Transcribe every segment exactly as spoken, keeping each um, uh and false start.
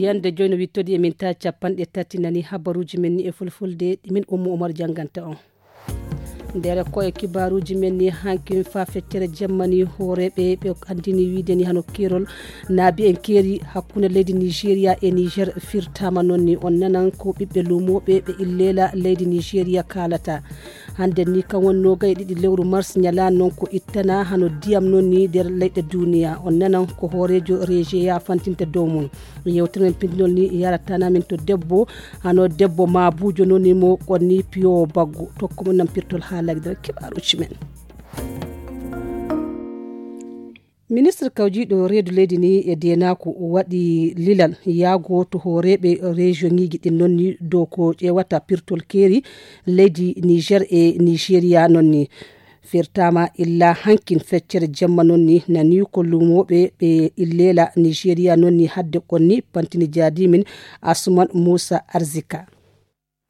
Hannde jooni no wittodi e min ta capanɗe tati nani habaruuji men ni e fulfulde ɗi min Ummu Umar jannganta on. Nder ko e kibaaruuji men ni hankin fa feccere jemmani hooreeɓe ɓe anndini wiide ni hano keerol naabi en keeri hakkunde leydi Nigeria e Niger firtama noon ni on nanan ko ɓiɓɓe luumooɓe ɓe illeela leydi Nigeria kaalata. Hannde ni kan woni noogay e ɗiɗi lewru mars ñalaande noon ko ittana hano diyam noon ni nder leyɗe duniya. On nanan ko hooreejo rejeya fantinta dow mum. Yewtere men pindinol ni yaratana min to debbo, hano debbo maabujo noon ni mo on ni piyo baggu. Tokko mo nan pirtol haalagdal kibaaruuji men. Ministre kawjiiɗo reedu leydi ni e deenaaku waɗi lilal yaago to hooreeɓe rejiyoŋiiji ɗin noon ni dow ko ƴeewata pirtol keeri leydi Niger e Nigeria noon ni. Firtaama illa hankin feccere jemma noon ni nani ko luumooɓe ɓe illeela Nigeria noon ni hadde kon ni pantini jaadimin Asuman Musa Arzika.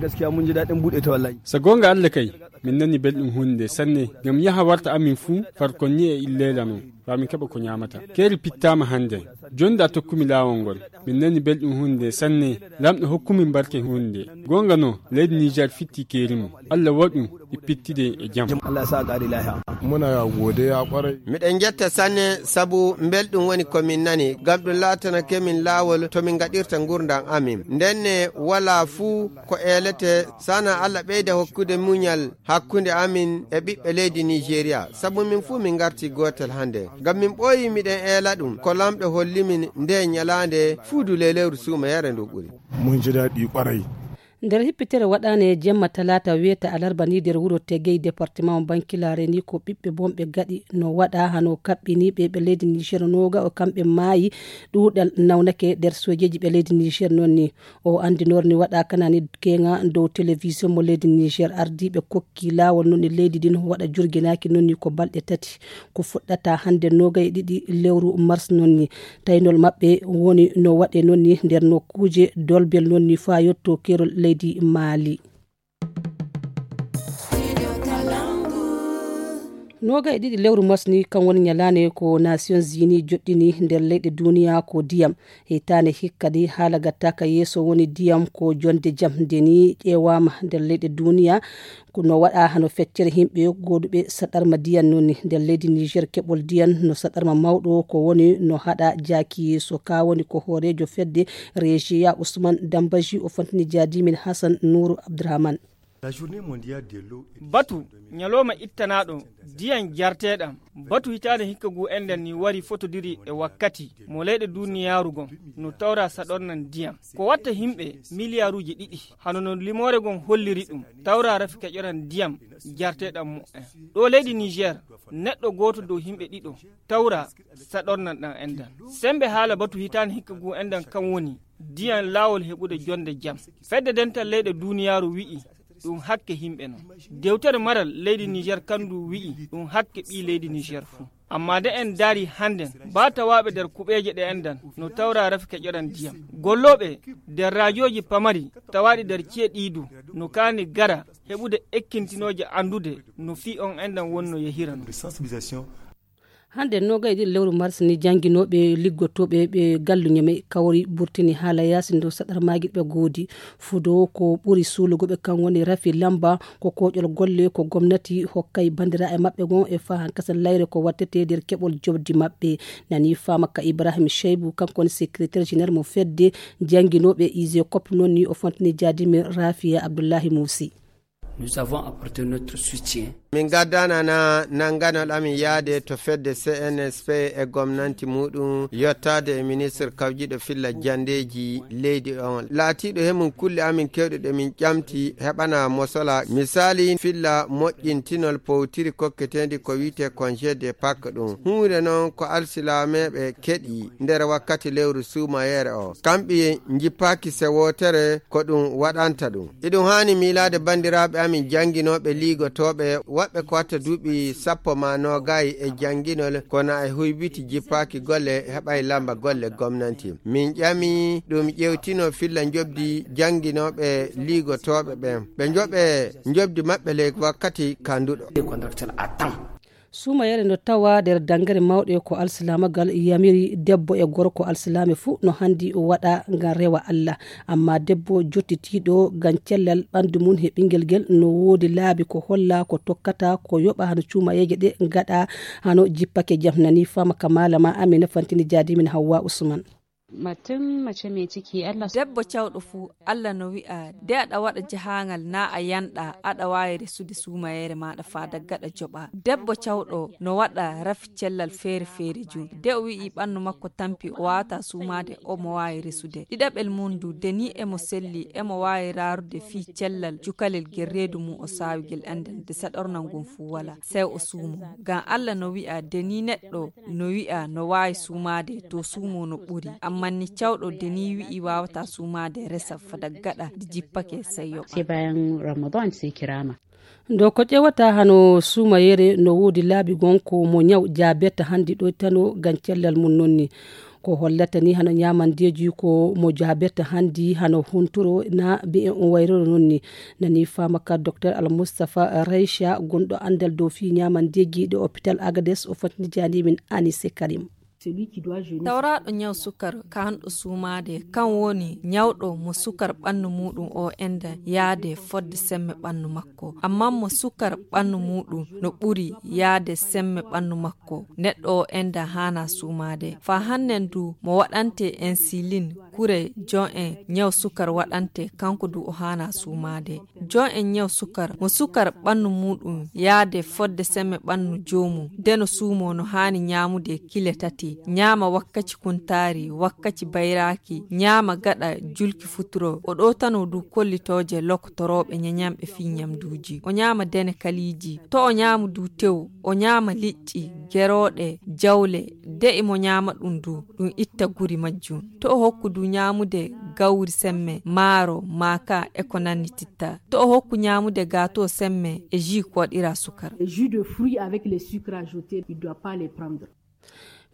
Gaskiya mun ji daɗin buɗe ta wallahi. So goonga Allah kay, min nani belɗum huunde nde sanne, ngam yaha warta amin fuu farkon ni e illeela non, faa min keɓa ko ñaamata. Keeri pittaama hannde, jooni da tokkumi laawol ngol. Min nani belɗum huunde nde sanne, Laamɗo hokku min barke huunde nde. Goonga no, leydi Niger fitti keeri mum. Allah waɗu ɗi pittide e jam. Allah ya sa a ƙari lahiya. Muna godiya ƙwarai. Miɗen njetta sanne sabu mbelɗum woni ko min nani, ngam ɗum laatanake min laawol to min ngaɗirta ngurndan amin. Ndenne walaa fuu ko eelete, sana Allah ɓeyda hokkude muñal hakkunde amin e ɓiɓɓe leydi Nigeria, sabu min fuu min ngarti gootel hannde. Ngam min ɓooyi miɗen eela ɗum, ko Laamɗo holli min ndee ñalaande fuu du ley lewru suumayere ndu ɓuri. Mun ji daɗi ƙwarai. Nder hippitere waɗaane jemma talaata weeta alarba ni nder wuro Tegey, departement Bankilaare ni ko ɓiɓɓe bonɓe gaɗi no waɗa hano kaɓɓiniiɓe ɓe leydi Niger nooga o kamɓe maayi ɗuuɗal nawnake nder sojeeji ɓe leydi Niger noon ni. O anndinoor ni waɗa kana ni keŋa dow télévision mo leydi Niger ardiiɓe kokki laawol noon ni leydi din waɗa jurginaaki noon ni ko balɗe tati. Ko fuɗɗata hannde noogay e ɗiɗi lewru mars noon ni. Taynol maɓɓe woni no waɗe noon ni nder nokkuuje dolbel noon ni faa yotto keerol leydi Maali. Noogay e ɗiɗi lewru mars ni kan woni ñalaande ko Nations Unies joɗɗini nder leyɗe duniya ko diyam. Hitaande hikka di haala gattaaka yeeso woni diyam ko jonde jam nde ni ƴeewaama nder leyɗe duniya. Ko no waɗa hano feccere yimɓe gooduɓe saɗarma diyan noon ni. Nder leydi Niger keɓol diyan no saɗarma mawɗo ko woni no haɗa jaaki yeeso ka woni ko hooreejo fedde Rejiya Usman Dambaji o fontini jaadimin Hassan Nuru Abdurrahman. Batu ñalooma ittanaaɗo diyan jarteeɗam. Batu hitaande hikka gu enɗan ni wari fotodiri e wakkati mo leyɗe duniyaaru gon no tawra saɗornan diyam. Ko watta yimɓe miliyaaruuji ɗiɗi, hano no limoore gon holliri ɗum, tawra rafi keƴoran diyam jarteeɗam mu'en. Ɗo leydi Niger, neɗɗo gooto dow yimɓe ɗiɗo tawra saɗornan ɗan enɗan. Sembe haala batu hitaande hikka gu enɗan kan woni diyam laawol heɓude jonde jam. Fedde dental leyɗe duniyaaru wi'i ɗum hakke yimɓe non. Dewtere maral leydi Niger kandu wi'i ɗum hakke ɓii leydi Niger fuu. Amma nde en daari hannden, ba tawaaɓe nder kuɓeeje ɗe enɗan no tawra rafi keƴoran diyam. Gollooɓe nder raajooji pamari tawaaɗi nder ci'e ɗii du no kaani gara heɓude ekkintinooje anndude no fii on enɗan wonno yehira non. Hannde noogay e ɗiɗi lewru mars ni jannginooɓe liggotooɓe ɓe gallu Ñamey kawri burtini haala yaasi ndo saɗarmaaji ɓe goodi. Fudo ko ɓuri suulugo ɓe kan woni rafi lamba ko kooƴol golle ko gomnati hokkay banndiraaɓe maɓɓe gon e fahan kasan layre ko wattete nder keɓol jobdi maɓɓe. Nani faama ka Ibrahim Shaibu kanko woni secrétaire général mo fedde jannginooɓe ise cop noon ni o fontini jaadimin Rafiya Abdullahi Muusi. Nous avons apporté notre soutien. Min gaddanana nannganol amin yaade to fedde C N S P e gomnanti muɗum yottaade e ministre kawjiɗo filla jandeeji leydi on. Laatiiɗo he mum kulle amin kewɗe ɗe min ƴamti heɓana mosola. Misali filla moƴƴintinol powtiri kokketeendi ko wi'etee congé de Pâques ɗum. Huunde noon ko alsilameeɓe keɗi nder wakkati lewru suumayeere o. Kamɓe njippaaki se wootere ko ɗum waɗanta ɗum. Iɗum haani miilaade banndiraaɓe amin jannginooɓe liigotooɓe, woɓɓe ko watta duuɓi sappo maa noogay e jannginol, kono e huybiti jippaaki golle, heɓay lamba golle gomnanti. Min ƴami ɗum ƴeewtino filla njoɓdi jannginooɓe liigotooɓe ɓen. Ɓe njoɓe njoɓdi maɓɓe ley wakkati kanduɗo. Suumayeere no tawa nder danngere mawɗe ko alsilaamagal yamiri debbo e gorko alsilaame fuu no hanndi waɗa ngam rewa Allah. Amma debbo jottitiiɗo ngam cellal ɓanndu mum he ɓinngel ngel no woodi laabi ko holla ko tokkata ko yoɓa hano cuumayeeje ɗe ngaɗa hano jippake jam nani fama ka malama Amina Fantini Jaadimin Hawwa Usman. Macen mace mai ciki Allah. Debbo cawɗo fuu, Allah no wi'a, de aɗa waɗa jahaangal naa a yanɗa, aɗa waawi resude suumayeere maaɗa faa daggaɗa joɓa. Debbo cawɗo no waɗa rafi cellal feere feere jun. De o wi'i ɓannu makko tampi o waawata suumaade, omo waawi resude. Ɗiɗaɓel mum du, de ni emo selli, emo waawi raarude fii cellal cukalel gel reedu mum o saawigel annden, de saɗornal ngon fuu walaa. Sey o suumo. Ngam Allah no wi'a, de ni neɗɗo no wi'a no waawi suumaade, to suumo no ɓuri. Ammaa ni cawɗo de ni wi'i waawataa suumaade, resa fada gaɗa, de jippake, sey yoɓa. Sai bayan Ramadan sai kirama. Ndo ko ƴewata hano suumayeere no woodi laabi gon ko mo ñaw jaabirta hanndi ɗoytano ngam cellal mum non ni. Ko hollata ni hano ñaamandeeji ko mo jaabirta hanndi hano hunturo na mbi'en on wayroro non ni. Nani faama ka Docteur Al Mustafa Raycha gonɗo anndal dow fii ñaamandeeji ɗo hôpital Agades o fotni jaani min Anise Karim. Tawraaɗo ñaw sukar kaanɗo suumaade, kan woni ñawɗo mo sukar ɓannu muuɗum o enda yaade fodde semme ɓannu makko. Ammaa mo sukar ɓannu muuɗum no ɓuri yaade semme ɓannu makko, neɗɗo o enda haana suumaade. Faa hannen du mo waɗante insulin, kure jon'en ñaw sukar waɗante, kanko du o haana suumaade. Jon'en ñaw sukar, mo sukar ɓannu muuɗum yaade fodde semme ɓannu joomum, de no suumoo no haani ñaamude kile tati, ñaama wakkaci kuntaari, wakkaci bayraaki, ñaama gaɗa julki futuro. O ɗowtanoo du kollitooje lokotorooɓe ñeñanɓe fii ñamduuji. O ñaama dene kaliiji. To o ñaamu du tew, o ñaama liƴƴi, gerooɗe, jawle, de imo ñaama ɗum du, ɗum itta guri majjum. To o hokku du ñaamude gawri semme, maaro, maaka, e ko nannititta. To o hokku ñaamude gaato semme e jus koɗira sukar. Jus de fruits avec les sucres ajoutés, il doit pas les prendre.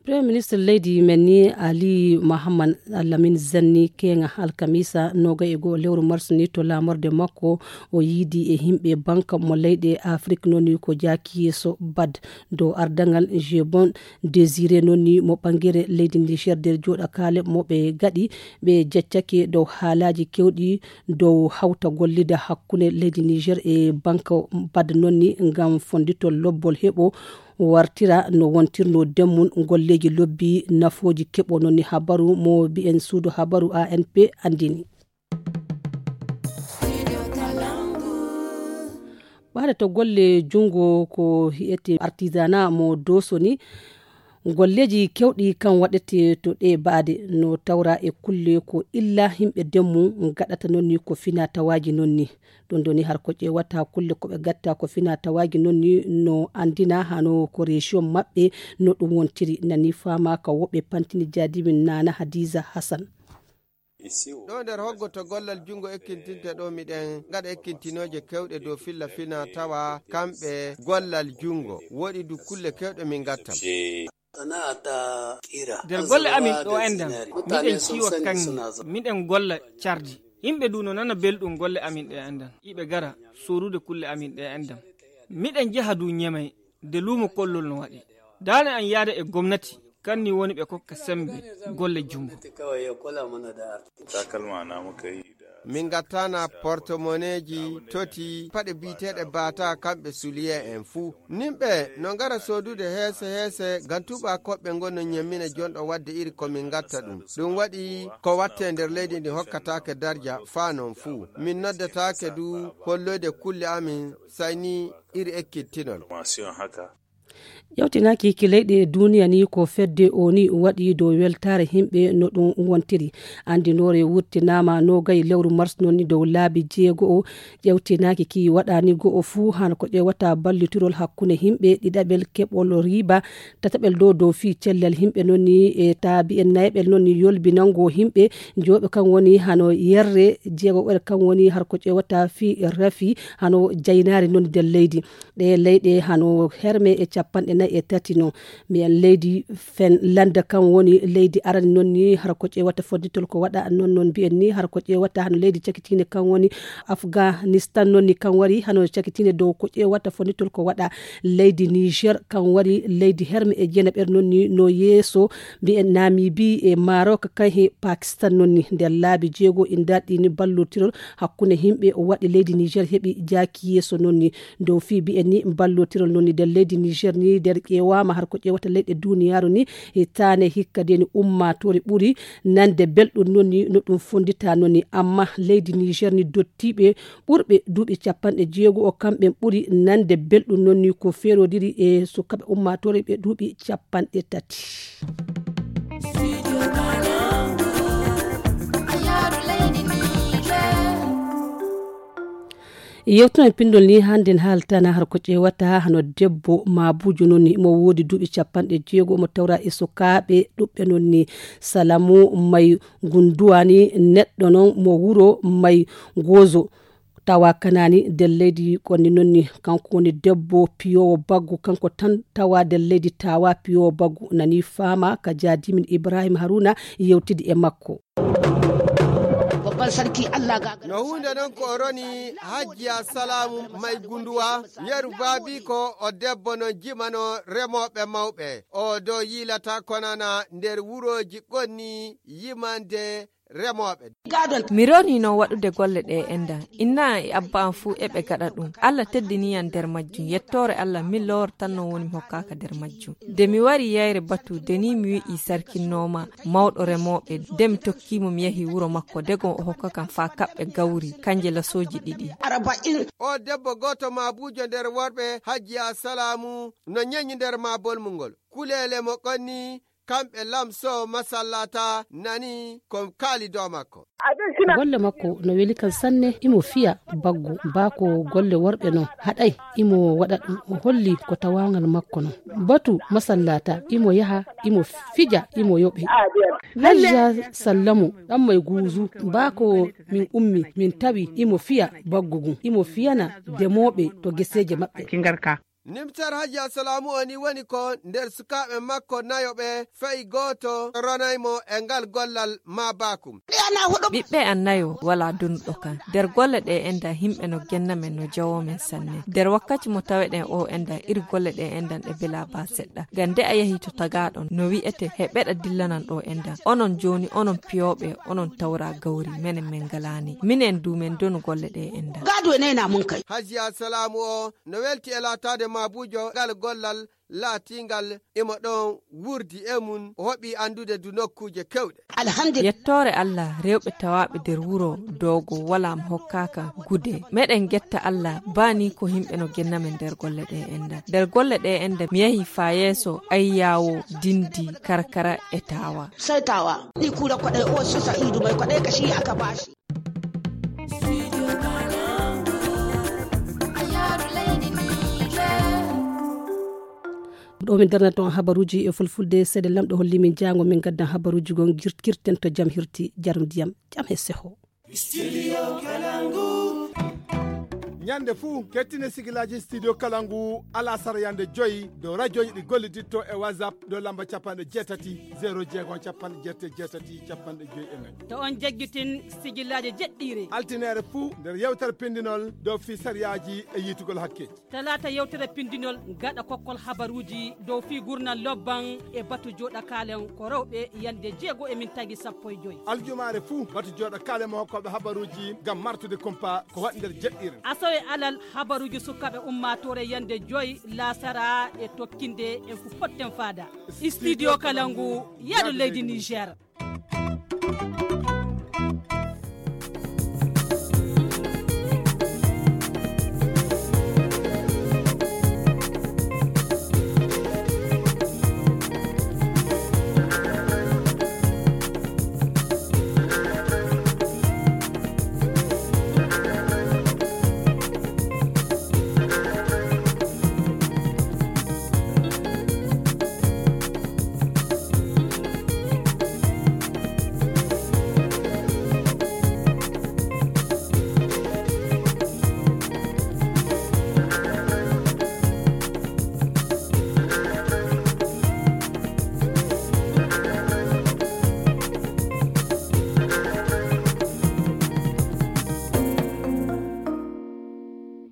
Premier ministre leydi men ni Ali Mahamman Lamin Zanni keŋa alkamisa noga e goo lewru mars ni to lamorde makko o yiidi e himɓe banka mo leyɗe Afrik noni ko jaaki yeeso bad dow ardaŋal Jebon Désiré noni mo ɓangere leydi Niger nder jooɗakaale mo ɓe gaɗi ɓe jeccake dow haalaaji kewɗi dow hawta gollida hakkunde leydi Niger e banka bad noni ngam fonditol lobbol heɓo wartira no wontirno demmum golleeji lobbi nafooji keɓo noni habaru mo mbi'en suudu habaru A N P anndini. Ɓaade to golle junngo ko hi'ete artisanat mo doosoni golleeji kewɗi kan waɗete to ɗe baade no tawra e kulle ko illa himɓe demmu gaɗata nonni ko fina tawaaji nonni. Ɗum ɗoni har ko ƴeewata kulle ko ɓe gatta ko fina tawaaji nonni no anndina hano ko région maɓɓe no ɗum wontiri nani faama ka woɓɓe pantini jaadimin nana Hadiza Hassan. Ɗo nder hoggo to gollal junngo ekkintinte ɗo miɗen ngaɗa ekkintinooje kewɗe dow filla fina tawa kamɓe gollal junngo woɗi du kulle kewɗe min ngatta. Nder golle amin ɗo endan miɗen ciwa kaŋŋe miɗen golla cardi. Yimɓe du no nana belɗum golle amin ɗe endan iɓe gara sorude kulle amin ɗe endan. Miɗen jeha du ñemay de luumo kollol no waɗi daane an yaada e gomnati kanni woni ɓe kokka sembe golle junngo. Takalma na muka yi da min gattana portemoneji toti paɗe biyeteɗe bata kamɓe suliye en fuu. Nimɓe no ngara sodude heese heese ngam tuba koɓɓe ngon no ñemmina jonɗo wadde iri ko min gatta ɗum. Ɗum waɗi ko watte nder leydi ndi hokkatake darja faa non fuu min noddatake du holloyde kulle amin sayni iri ekkitinol. Ƴewtinaaki ki leyɗe duniya ni ko fedde o ni waɗi dow weltaare himɓe no ɗum wontiri. Anndinoore wurtinaama nogay lewru mars noon ni dow laabi jeego o ƴewtinaaki ki waɗaani go'o fuu hano ko ƴewata ballitirol hakkunde himɓe ɗiɗaɓel keɓol riba tataɓel dow dow fii cellal himɓe noon ni e taabi'en nayaɓel noon ni yolbinango himɓe. Jooɓe kan woni hano yerre jeegoɓel kan woni har ko ƴewata fii rafi hano jaynaari noon nder leydi. Ɗe leyɗe hano herme e Capanɗe nayi e tati noon. Mbiyen leydi Finlande kan woni leydi arani noon ni, hara ko ƴeewata fonnitol ko waɗa noon, noon mbiyen ni, hara ko ƴeewata hano leydi cakitiinde kan woni Afghanistan noon ni, kan wari hano cakitiinde dow ko ƴeewata fonnitol ko waɗa. Leydi Niger kan wari leydi herme e jeenaɓere noon ni, no yeeso. Mbiyen Namibie e Maroc kan he Pakistan noon ni. Nder laabi jeego indarɗi ni, ballootirol hakkunde yimɓe waɗi leydi Niger heɓi jaaki yeeso noon ni. Dow fii mbiyen ni ballootirol noon ni nder leydi Niger ni, nder ƴeewaama har ko ƴeewata leyɗe duniyaaru ni, hitaande hikka de ni ummaatoore ɓuri nande belɗum noon ni no ɗum fonndita noon ni. Amma leydi Niger ni dottiiɓe ɓurɓe duuɓi capanɗe jeego o, kamɓe ɓuri nande belɗum noon ni ko feerodiri e sukaaɓe ummaatoore ɓe duuɓi capanɗe tati. Yewtuno e pinndol ni, hannde en haaltana har ko ƴeewata hano debbo maabujo noon ni, mo woodi duuɓi capanɗe jeego, mo tawra e sukaaɓe ɗuɓɓe noon ni. Salamu May Gunduwa ni neɗɗo noon mo wuro May Gozo, tawa Kanaani nder leydi Konni noon ni. Kanko woni debbo piyoowo baggu, kanko tan tawa nder leydi Tawa piyoowo baggu. Nani faama ka jaadimin Ibrahim Haruna yewtidi e makko. Babban sarki Allah ga No huunde noon ko o roni Hajjiya Salaamu May Gunduwa, yeru baabiiko o debbo no jimano remooɓe mawɓe. O do yiilata konana nder wurooji Konni yimande remooɓe. Mi rorino waɗude golle ɗe enda. Inna e abba am fuu eɓe gaɗa ɗum. Allah teddini yam nder majjum. Yettoore Allah, min lowor tan non woni mi hokkaaka nder majjum. Nde mi wari yayre batu, de ni mi wi'i sarkinnooma mawɗo remooɓe, nde mi tokki mo mi yahi wuro makko, dego o hokka kam faa kaɓɓe gawri, kanje lasooji ɗiɗi. O debbo gooto maabujo nder worɓe Hajjiya Salaamu no ñeñi nder maa bolmungol. Kuleele mo Konni kamɓe lamso masallata nani ko kaali dow makko. Golle makko no weli kan sanne, imo fiya baggu, baa ko golle worɓe no haɗay, imo waɗa ɗum. O holli ko tawaangal makko no. Batu masallata, imo yaha, imo fija, imo yoɓe. Hajja Sallamu, ɗan may guuzu, baa ko min ummi, min tawi imo fiya baggu ngun, imo fiyana demooɓe to geseeje maɓɓe. Nimtar Hajji Assalaamu o ni woni ko nder sukaaɓe makko nayo ɓe, fay gooto ronay mo e ngal gollal maa baakum. Ɓiɓɓe an nayo walaa donuɗo kan. Nder golle ɗe enda, himɓe no genna men, no jawoo men sanne. Nder wakkaci mo taweɗen o enda, ir golle ɗe endan ɗe belaa baa seɗɗa. Ngam nde a yahi to tagaaɗon, no wi'ete, he ɓeɗa dillanan ɗo endan. Onon jooni, onon piyooɓe, onon tawra gawri, menen men ngalaani. Minen du men donu golle ɗe endan. Gado ne na mun kai. Hajji Assalaamu o no welti e laataade maabuujo ngal gollal laatiingal imo ɗon wurdi e mum, o hoɓi anndude du nokkuuje kewɗe. Alhamdulillah. Yettoore Allah, rewɓe tawaaɓe nder wuro Doogo walaa mo hokkaaka gude. Meɗen ngetta Allah, baa ni ko yimɓe no genna men nder golle ɗe enda. Nder golle ɗe enda, mi yahi faa yeeso Ayyaawo, Dindi, Karkara e Taawa. Sai Taawa, ni kura kwaɗai, o su Sa'idu mai kwaɗai ka shi aka bashi. Ɗo min darnata on habaruuji e fulfulde, seede Lamɗo holli min jaango min gaddan habaruuji gon gir-, kirten to jam hirti, jarum ndiyam, jam he seho. Ñande fuu, kettine sigilaaji Studio Kalangu alasara yande joyi dow rajooji ɗi golliditto e WhatsApp dow lamba capanɗe jeetati, zero jeego, capanɗe jeetati, jeetati, capanɗe joyi e nayi. To on jaggitin sigilaaji jeɗɗiire. Altineere fuu nder yewtere pindinol dow fii sariyaaji e yiitugol hakkeeji. Talaata yewtere pindinol gaɗa kokkol habaruuji dow fii gurnal lobban e batu jooɗa kaalen ko rewɓe yande jeego e min tagi sappo e joyi. Aljumaare fuu batu jooɗa kaalen mo hokkooɓe habaruuji ngam martude kumpa ko waɗi nder jeɗɗiire. Asawe alal habaruuji sukaaɓe ummaatoore yande joyi laasara e tokkinde en fu potten faada. Studio Kalangu, yaadu leydi Niger.